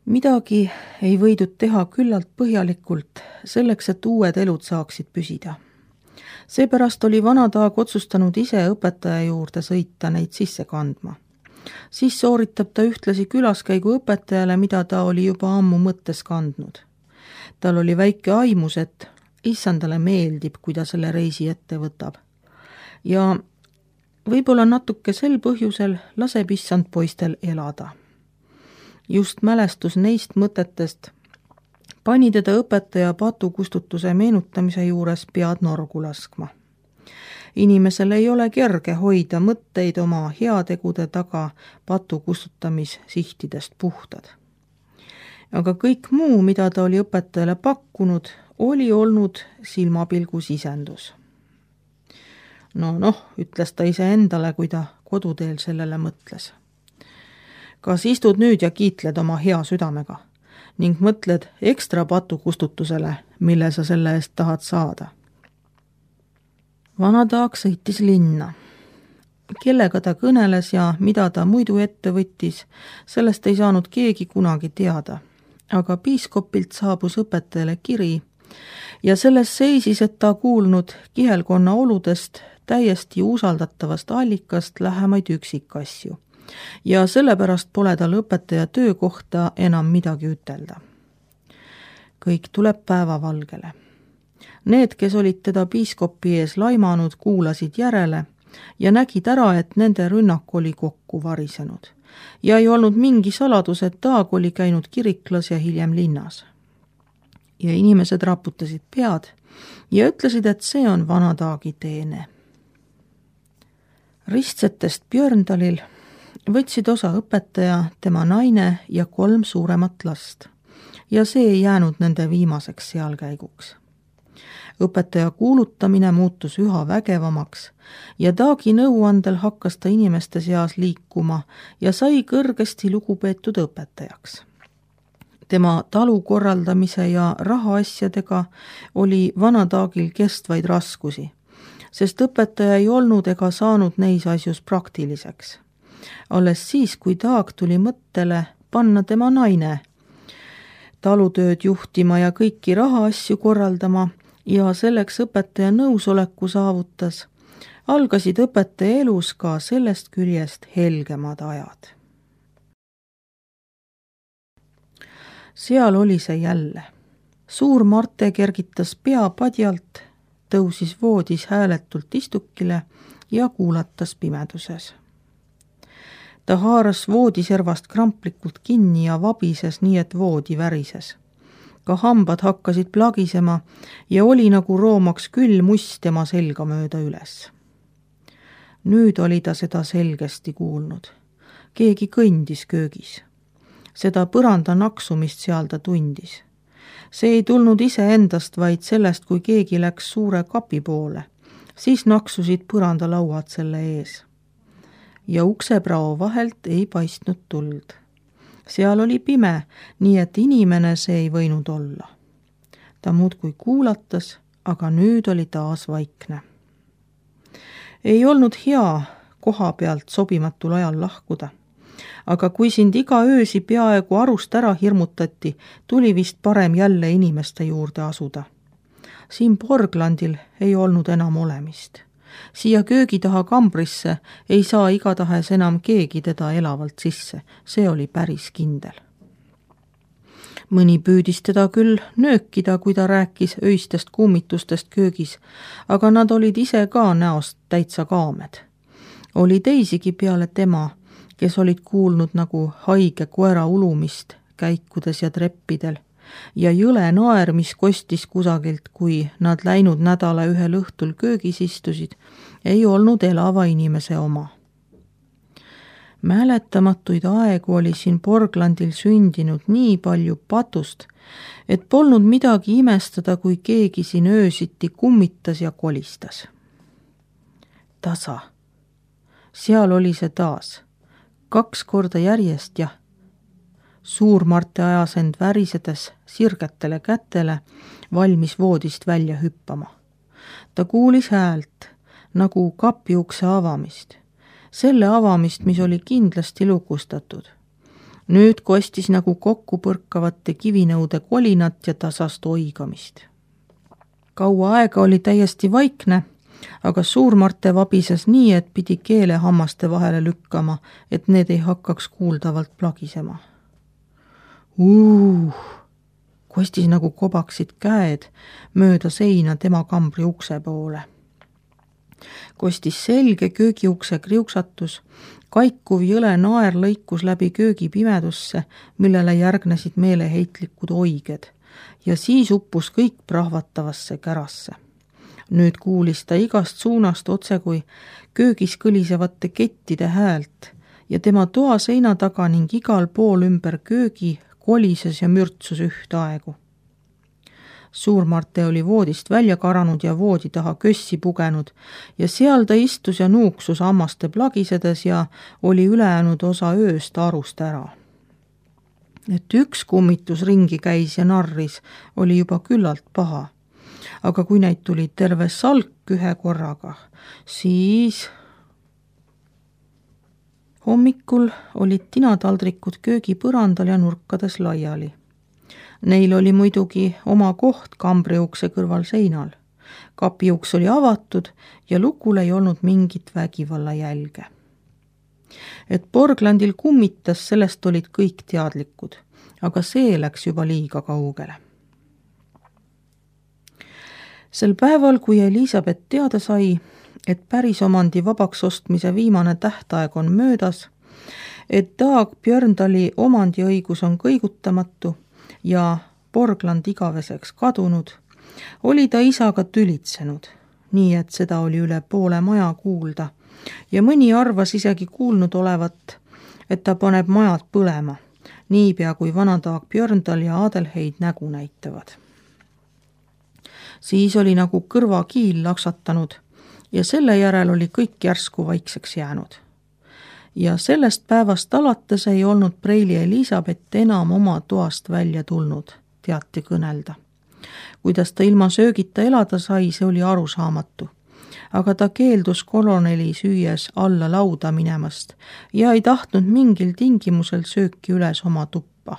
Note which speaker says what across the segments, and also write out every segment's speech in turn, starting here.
Speaker 1: Midagi ei võidud teha küllalt põhjalikult selleks, et uued elud saaksid püsida. Seepärast oli Vanataag otsustanud ise õpetaja juurde sõita neid sisse kandma. Siis sooritab ta ühtlasi külaskäigu õpetajale, mida ta oli juba ammu mõttes kandnud. Tal oli väike aimus, et issandale meeldib, kui ta selle reisi ette võtab. Ja võib-olla natuke sel põhjusel laseb issand poistel elada. Just mälestus neist mõtetest pani teda õpetaja patukustutuse meenutamise juures pead norgu laskma. Inimesel ei ole kerge hoida mõtteid oma heategude taga patukustutamissihtidest puhtad. Aga kõik muu, mida ta oli õpetajale pakkunud, oli olnud silmapilgu sisendus. Noh, ütles ta ise endale, kui ta koduteel sellele mõtles. Kas istud nüüd ja kiitled oma hea südamega ning mõtled ekstra patukustutusele, mille sa selle eest tahad saada? Vanataag sõitis linna. Kellega ta kõneles ja mida ta muidu ette võttis, sellest ei saanud keegi kunagi teada. Aga piiskopilt saabus õpetajale kiri ja selles seisis, et ta kuulnud kihelkonna oludest täiesti usaldatavast allikast lähemaid üksikasju. Ja sellepärast pole tal õpetaja töö kohta enam midagi ütelda. Kõik tuleb päevavalgele. Need, kes olid teda piiskopi ees laimanud, kuulasid järele ja nägid ära, et nende rünnak oli kokku varisenud. Ja ei olnud mingi saladus, et Taag oli käinud kiriklas ja hiljem linnas. Ja inimesed raputasid pead ja ütlesid, et see on Vanataagi teene. Ristsetest Björndalil võtsid osa õpetaja, tema naine ja 3 suuremat last. Ja see ei jäänud nende viimaseks sealkäiguks. Õpetaja kuulutamine muutus üha vägevamaks ja Taagi nõuandel hakkas ta inimeste seas liikuma ja sai kõrgesti lugupeetud õpetajaks. Tema talu korraldamise ja rahaasjadega oli Vanataagil kestvaid raskusi, sest õpetaja ei olnud ega saanud neis asjus praktiliseks. Alles siis, kui Taag tuli mõttele panna tema naine talutööd juhtima ja kõiki rahaasju korraldama ja selleks õpetaja nõusoleku saavutas, algasid õpetaja elus ka sellest küljest helgemad ajad. Seal oli see jälle. Suur Marte kergitas pea padjalt, tõusis voodis hääletult istukile ja kuulatas pimeduses. Ta haaras voodiservast kramplikult kinni ja vabises nii, et voodi värises. Ka hambad hakkasid plagisema ja oli nagu roomaks küll must tema selga mööda üles. Nüüd oli ta seda selgesti kuulnud. Keegi kõndis köögis. Seda põranda naksumist seal ta tundis. See ei tulnud ise endast, vaid sellest, kui keegi läks suure kapi poole. Siis naksusid põrandalauad selle ees. Ja ukseprao vahelt ei paistnud tuld. Seal oli pime, nii et inimene see ei võinud olla. Ta muudkui kuulatas, aga nüüd oli taas vaikne. Ei olnud hea koha pealt sobimatul ajal lahkuda, aga kui sind iga öösi peaaegu arust ära hirmutati, tuli vist parem jälle inimeste juurde asuda. Siin Borglandil ei olnud enam olemist. Siia köögi taha kambrisse ei saa igatahes enam keegi teda elavalt sisse, see oli päris kindel. Mõni püüdis teda küll nöökida, kui ta rääkis öistest kummitustest köögis, aga nad olid ise ka näost täitsa kaamed. Oli teisigi peale tema, kes olid kuulnud nagu haige koera ulumist käikudes ja treppidel, ja jõle naer, mis kostis kusagilt, kui nad läinud nädala ühel õhtul köögis istusid, ei olnud elava inimese oma. Mäletamatuid aegu oli siin Borglandil sündinud nii palju patust, et polnud midagi imestada, kui keegi siin öösiti kummitas ja kolistas. Tasa. Seal oli see taas. 2 korda järjest ja Suur Marte ajas end värisedes sirgetele kätele, valmis voodist välja hüppama. Ta kuulis häält, nagu kapiukse avamist. Selle avamist, mis oli kindlasti lukustatud. Nüüd kostis nagu kokku põrkavate kivinõude kolinat ja tasast oigamist. Kaua aega oli täiesti vaikne, aga Suur-Marte vabises nii, et pidi keele hammaste vahele lükkama, et need ei hakkaks kuuldavalt plagisema. Kostis nagu kobaksid käed mööda seina tema kambri ukse poole. Kostis selge köögiukse kriuksatus, kaikuv jõle naer lõikus läbi köögi pimedusse, millele järgnesid meeleheitlikud oiged, ja siis uppus kõik prahvatavasse kärasse. Nüüd kuulis ta igast suunast otse kui köögis kõlisevate kettide häält ja tema toa seina taga ning igal pool ümber köögi kolises ja mürtsus ühtaegu. Suur-Marte oli voodist välja karanud ja voodi taha kössi pugenud ja seal ta istus ja nuuksus hammaste plagisedes ja oli ülejäänud osa ööst arust ära. Et üks kummitus ringi käis ja narris, oli juba küllalt paha. Aga kui neid tuli terve salk ühe korraga, siis hommikul olid tinataldrikud köögipõrandal ja nurkades laiali. Neil oli muidugi oma koht kambriukse kõrval seinal. Kapiuks oli avatud ja lukul ei olnud mingit vägivalla jälge. Et Borglandil kummitas, sellest olid kõik teadlikud, aga see läks juba liiga kaugele. Sel päeval, kui Elisabeth teada sai, et päris omandi vabaks ostmise viimane tähtaeg on möödas, et Dag Björndali omandiõigus on kõigutamatu ja Borgland igaveseks kadunud, oli ta isaga tülitsenud, nii et seda oli üle poole maja kuulda ja mõni arvas isegi kuulnud olevat, et ta paneb majad põlema, niipea kui vana Dag Björndal ja Adelheid nägu näitavad. Siis oli nagu kõrvakiil laksatanud ja selle järel oli kõik järsku vaikseks jäänud. Ja sellest päevast alates ei olnud Preili Elisabeth enam oma toast välja tulnud, teati kõnelda. Kuidas ta ilma söögita elada sai, see oli arusaamatu. Aga ta keeldus koloneli süües alla lauda minemast ja ei tahtnud mingil tingimusel sööki üles oma tuppa.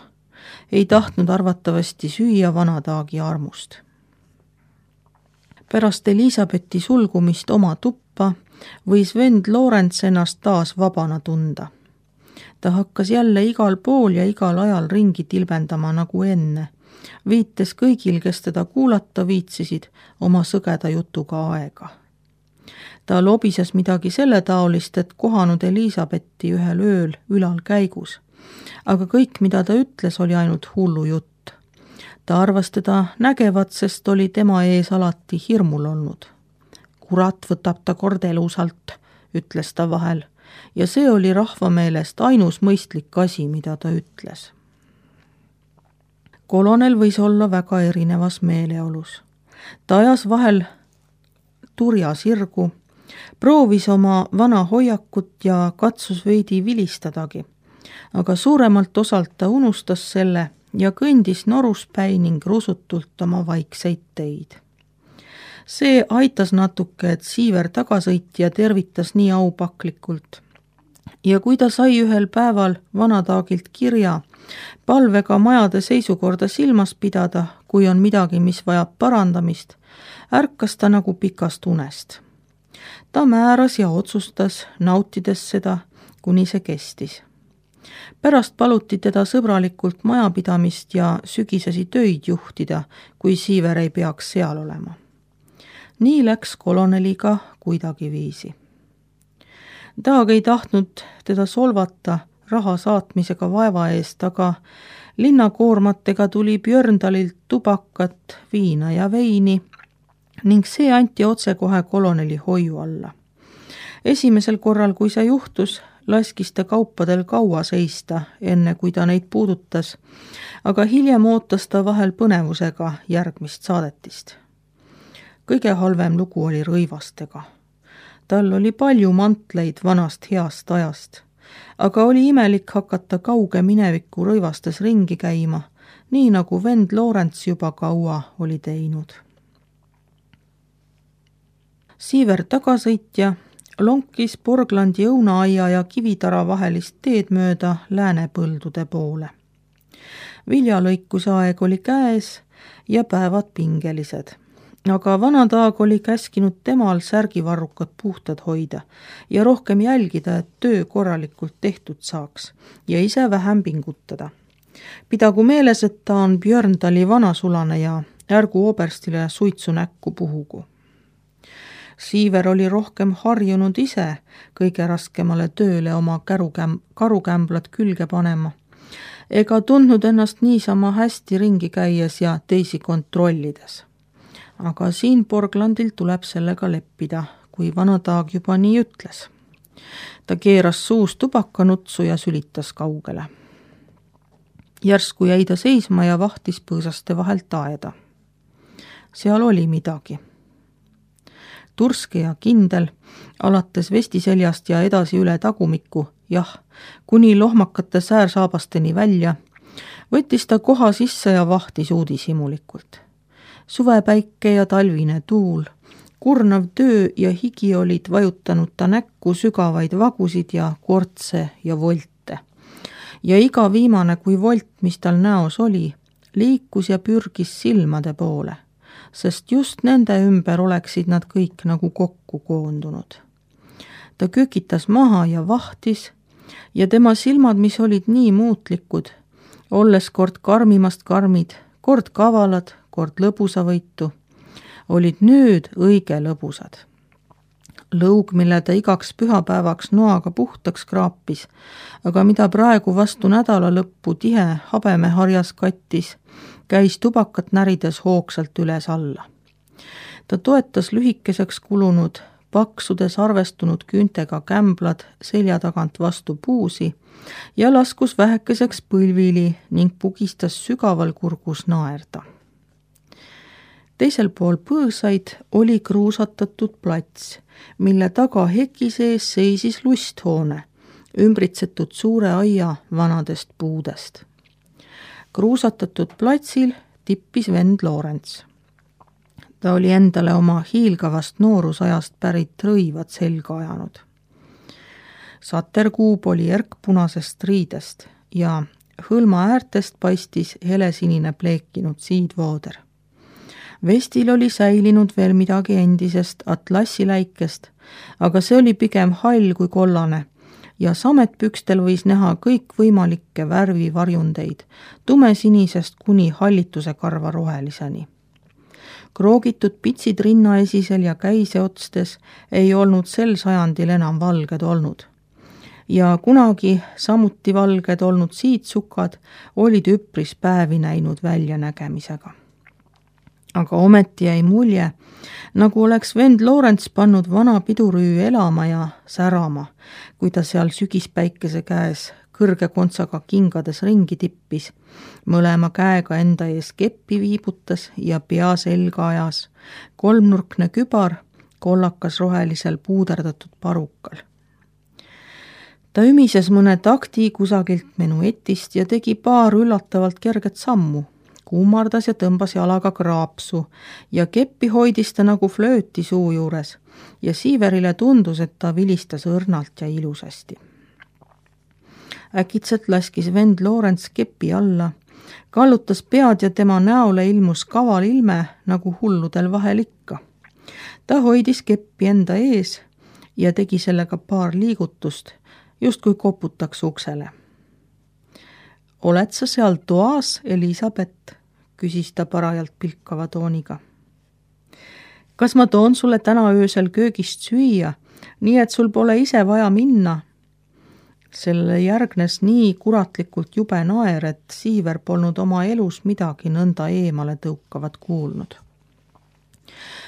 Speaker 1: Ei tahtnud arvatavasti süüa vana Dagi armust. Pärast Elisabethi sulgumist oma tuppa võis vend Lorenz ennast taas vabana tunda. Ta hakkas jälle igal pool ja igal ajal ringi tilbendama nagu enne, viites kõigil, kes teda kuulata viitsisid, oma sõgeda jutuga aega. Ta lobises midagi selle taolist, et kohanud Elisabethi ühel ööl ülal käigus, aga kõik, mida ta ütles, oli ainult hullu jutt. Ta arvas teda nägevat, sest oli tema ees alati hirmul olnud. Kurat võtab ta kord elusalt, ütles ta vahel, ja see oli rahva meelest ainus mõistlik asi, mida ta ütles. Kolonel võis olla väga erinevas meeleolus. Ta ajas vahel turja sirgu, proovis oma vana hoiakut ja katsus veidi vilistadagi, aga suuremalt osalt ta unustas selle ja kõndis noruspäi ning rusutult oma vaikseid teid. See aitas natuke, et Siiver tagasõitja tervitas nii aupaklikult. Ja kui ta sai ühel päeval vanataagilt kirja palvega majade seisukorda silmas pidada, kui on midagi, mis vajab parandamist, ärkas ta nagu pikast unest. Ta määras ja otsustas, nautides seda, kuni see kestis. Pärast paluti teda sõbralikult majapidamist ja sügisesi töid juhtida, kui Siiver ei peaks seal olema. Nii läks koloneliga kuidagiviisi. Dag ei tahtnud teda solvata raha saatmisega vaeva eest, aga linnakoormatega tuli Björndalilt tubakat, viina ja veini ning see anti otsekohe koloneli hoiu alla. Esimesel korral, kui see juhtus, laskis ta kaupadel kaua seista, enne kui ta neid puudutas, aga hiljem ootas ta vahel põnevusega järgmist saadetist. Kõige halvem lugu oli rõivastega. Tal oli palju mantleid vanast heast ajast, aga oli imelik hakata kauge mineviku rõivastes ringi käima, nii nagu vend Lorenz juba kaua oli teinud. Siiver tagasõitja lonkis Porglandi õunaaia ja Kivitara vahelist teed mööda läänepõldude poole. Viljalõikuse aeg oli käes ja päevad pingelised. Aga vanataag oli käskinud temal särgivarrukad puhtad hoida ja rohkem jälgida, et töö korralikult tehtud saaks ja ise vähem pingutada. Pidagu meeles, et ta on Björndali vanasulane ja ärgu oberstile suitsu näkku puhugu. Siiver oli rohkem harjunud ise kõige raskemale tööle oma karukämblad külge panema, ega tundnud ennast niisama hästi ringi käies ja teisi kontrollides. Aga siin Porglandil tuleb sellega leppida, kui vanataag juba nii ütles. Ta keeras suus tubakanutsu ja sülitas kaugele. Järsku jäi ta seisma ja vahtis põõsaste vahelt aeda. Seal oli midagi. Turske ja kindel, alates vestiseljast ja edasi üle tagumikku, jah, kuni lohmakate säärsaabasteni välja, võttis ta koha sisse ja vahtis uudishimulikult. Suvepäike ja talvine tuul, kurnav töö ja higi olid vajutanud ta näkku sügavaid vagusid ja kortse ja volte. Ja iga viimane kui volt, mis tal näos oli, liikus ja pürgis silmade poole, sest just nende ümber oleksid nad kõik nagu kokku koondunud. Ta kökitas maha ja vahtis ja tema silmad, mis olid nii muutlikud, olles kord karmimast karmid, kord kavalad, kord lõbusavõitu, olid nüüd õige lõbusad. Lõug, mille ta igaks pühapäevaks noaga puhtaks kraapis, aga mida praegu vastu nädala lõppu tihe habemeharjas kattis, käis tubakat närides hoogsalt üles alla. Ta toetas lühikeseks kulunud, paksudes arvestunud küüntega kämblad selja tagant vastu puusi ja laskus vähekeseks põlvili ning pugistas sügaval kurgus naerda. Teisel pool põõsaid oli kruusatatud plats, mille taga heki sees seisis lusthoone, ümbritsetud suure aia vanadest puudest. Kruusatatud platsil tippis vend Lorenz. Ta oli endale oma hiilgavast noorusajast pärit rõivad selga ajanud. Saterkuub oli erkpunasest riidest ja hõlma äärtest paistis helesinine pleekinud siidvooder. Vestil oli säilinud veel midagi endisest atlassiläikest, aga see oli pigem hall kui kollane ja sametpükstel võis näha kõikvõimalikke värvivarjundeid, tumesinisest kuni hallituse karva roheliseni. Kroogitud pitsid rinnaesisel ja käiseotstes ei olnud sel sajandil enam valged olnud. Ja kunagi samuti valged olnud siidsukad olid üpris päevi näinud väljanägemisega. Aga ometi jäi mulje, nagu oleks vend Lorenz pannud vana pidurüü elama ja särama, kui ta seal sügispäikese käes kõrge kontsaga kingades ringi tippis, mõlema käega enda ees keppi viibutas ja pea selga ajas, kolmnurkne kübar kollakas rohelisel puuderdatud parukal. Ta ümises mõne takti kusagilt menuetist ja tegi paar üllatavalt kerget sammu, kummardas ja tõmbas jalaga kraapsu ja keppi hoidis ta nagu flööti suu juures ja Siiverile tundus, et ta vilistas õrnalt ja ilusasti. Äkitselt laskis vend Lorenz kepi alla, kallutas pead ja tema näole ilmus kaval ilme nagu hulludel vahel ikka. Ta hoidis keppi enda ees ja tegi sellega paar liigutust, justkui koputaks uksele. Oled sa seal toas, Elisabeth? Küsis ta parajalt pilkava tooniga. Kas ma toon sulle täna öösel köögist süüa, nii et sul pole ise vaja minna? Sellele järgnes nii kuratlikult jube naer, et Siiver polnud oma elus midagi nõnda eemale tõukavat kuulnud.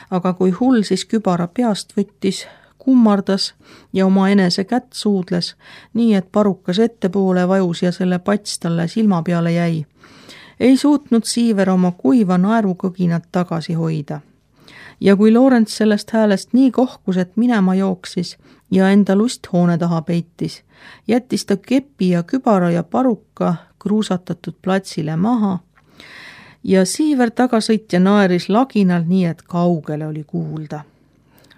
Speaker 1: Aga kui hull siis kübara peast võttis, kummardas ja oma enese kätt suudles, nii et parukas ettepoole vajus ja selle pats talle silma peale jäi, ei suutnud Siiver oma kuiva naerukõginat tagasi hoida. Ja kui Lorenz sellest häälest nii kohkus, et minema jooksis ja enda lusthoone taha peitis, jättis ta kepi ja kübara ja paruka kruusatatud platsile maha ja Siiver tagasõitja naeris laginal nii, et kaugele oli kuulda.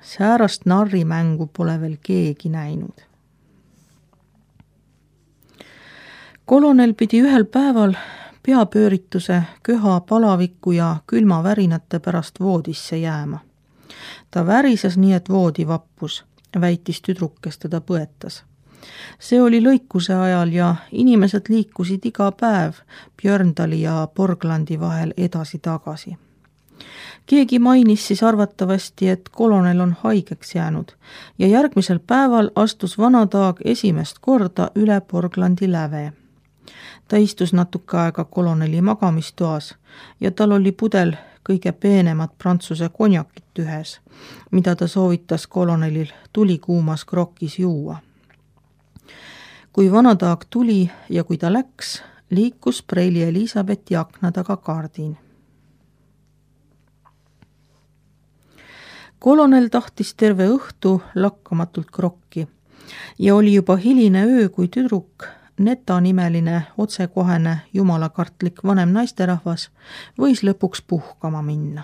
Speaker 1: Säärast narrimängu pole veel keegi näinud. Kolonel pidi ühel päeval peapöörituse, köha, palaviku ja külmavärinate pärast voodisse jääma. Ta värises nii, et voodi vappus, väitis tüdruk, kes teda põetas. See oli lõikuse ajal ja inimesed liikusid iga päev Björndali ja Borglandi vahel edasi-tagasi. Keegi mainis siis arvatavasti, et kolonel on haigeks jäänud ja järgmisel päeval astus Vanadaag esimest korda üle Borglandi läve. Ta istus natuke aega koloneli magamistoas ja tal oli pudel kõige peenemat prantsuse konjakit ühes, mida ta soovitas kolonelil tulikuumas krokis juua. Kui Vanadaag tuli ja kui ta läks, liikus preili Elisabethi akna taga kaardin. Kolonel tahtis terve õhtu lakkamatult krokki ja oli juba hiline öö, kui tüdruk, Neta nimeline otsekohene jumalakartlik vanem naisterahvas, võis lõpuks puhkama minna.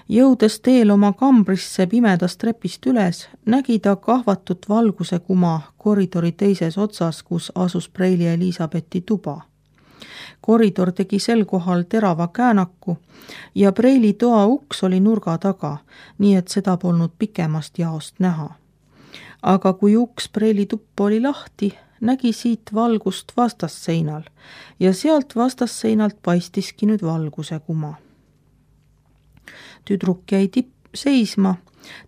Speaker 1: Jõudes teel oma kambrisse pimedast trepist üles, nägi ta kahvatut valguse kuma koridori teises otsas, kus asus preili Elisabethi tuba. Koridor tegi sel kohal terava käänaku ja preili toa uks oli nurga taga, nii et seda polnud pikemast jaost näha. Aga kui uks preili tuppa oli lahti, nägi siit valgust vastasseinal ja sealt vastasseinalt paistiski nüüd valguse kuma. Tüdruk jäi seisma,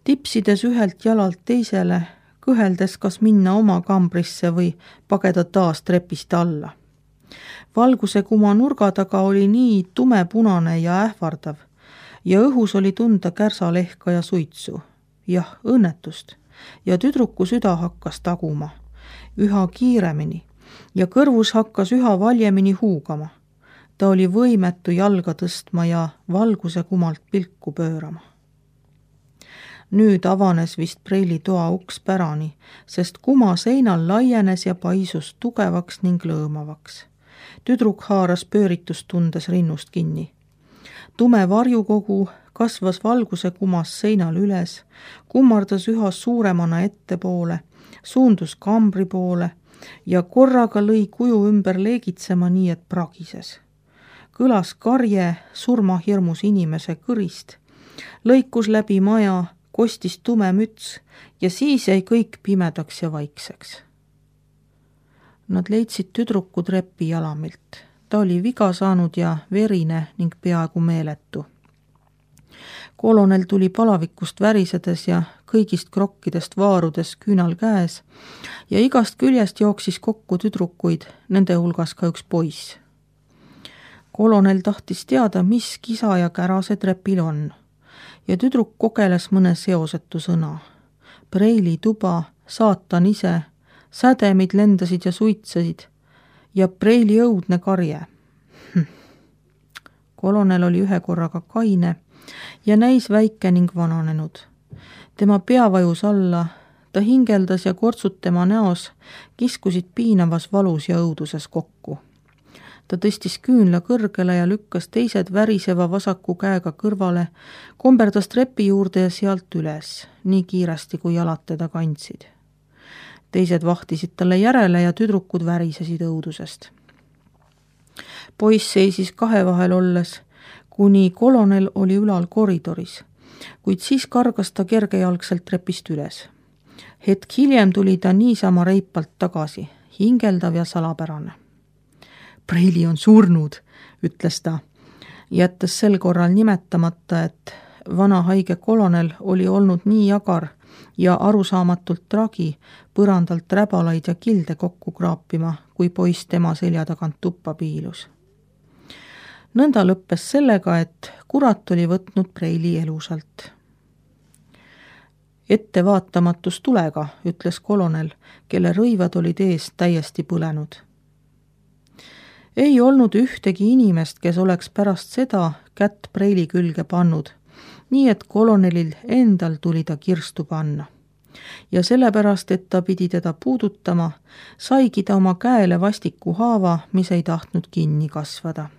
Speaker 1: tipsides ühelt jalalt teisele, kõheldes kas minna oma kambrisse või pageda taas trepist alla. Valguse kuma nurga taga oli nii tumepunane ja ähvardav ja õhus oli tunda kärsalehka ja suitsu. Jah, õnnetust ja tüdruku süda hakkas taguma üha kiiremini ja kõrvus hakkas üha valjemini huugama. Ta oli võimetu jalga tõstma ja valguse kumalt pilku pöörama. Nüüd avanes vist preili toa uks pärani, sest kuma seinal laienes ja paisus tugevaks ning lõõmavaks. Tüdruk haaras pööritust tundes rinnust kinni. Tume varjukogu kasvas valguse kumas seinal üles, kummardas üha suuremana ettepoole, suundus kambri poole ja korraga lõi kuju ümber leegitsema nii, et pragises. Kõlas karje surmahirmus inimese kõrist, lõikus läbi maja, kostis tume müts ja siis jäi kõik pimedaks ja vaikseks. Nad leidsid tüdruku trepi jalamilt. Ta oli viga saanud ja verine ning peaaegu meeletu. Kolonel tuli palavikust värisedes ja kõigist krokkidest vaarudes küünal käes ja igast küljest jooksis kokku tüdrukuid, nende hulgas ka üks poiss. Kolonel tahtis teada, mis kisa ja kära see trepil on ja tüdruk kogeles mõne seosetu sõna. Preili tuba, saatan ise, sädemid lendasid ja suitsesid ja preili õudne karje. Kolonel oli ühe korraga kaine ja näis väike ning vananenud. Tema pea vajus alla, ta hingeldas ja kortsud tema näos kiskusid piinavas valus ja õuduses kokku. Ta tõstis küünla kõrgele ja lükkas teised väriseva vasaku käega kõrvale, komberdas trepi juurde ja sealt üles, nii kiiresti kui jalad teda kandsid. Teised vahtisid talle järele ja tüdrukud värisesid õudusest. Poiss seisis kahe vahel olles, kuni kolonel oli ülal koridoris, kuid siis kargas ta kergejalgselt trepist üles. Hetk hiljem tuli ta niisama reipalt tagasi, hingeldav ja salapärane. Preili on surnud, ütles ta, jättes sel korral nimetamata, et vana haige kolonel oli olnud nii jagar ja arusaamatult tragi põrandalt räbalaid ja kilde kokku kraapima, kui poiss tema selja tagant tuppa piilus. Nõnda lõppes sellega, et kurat oli võtnud preili elusalt. Ettevaatamatus tulega, ütles kolonel, kelle rõivad olid ees täiesti põlenud. Ei olnud ühtegi inimest, kes oleks pärast seda kätt preili külge pannud, nii et kolonelil endal tuli ta kirstu panna. Ja sellepärast, et ta pidi teda puudutama, saigi ta oma käele vastiku haava, mis ei tahtnud kinni kasvada.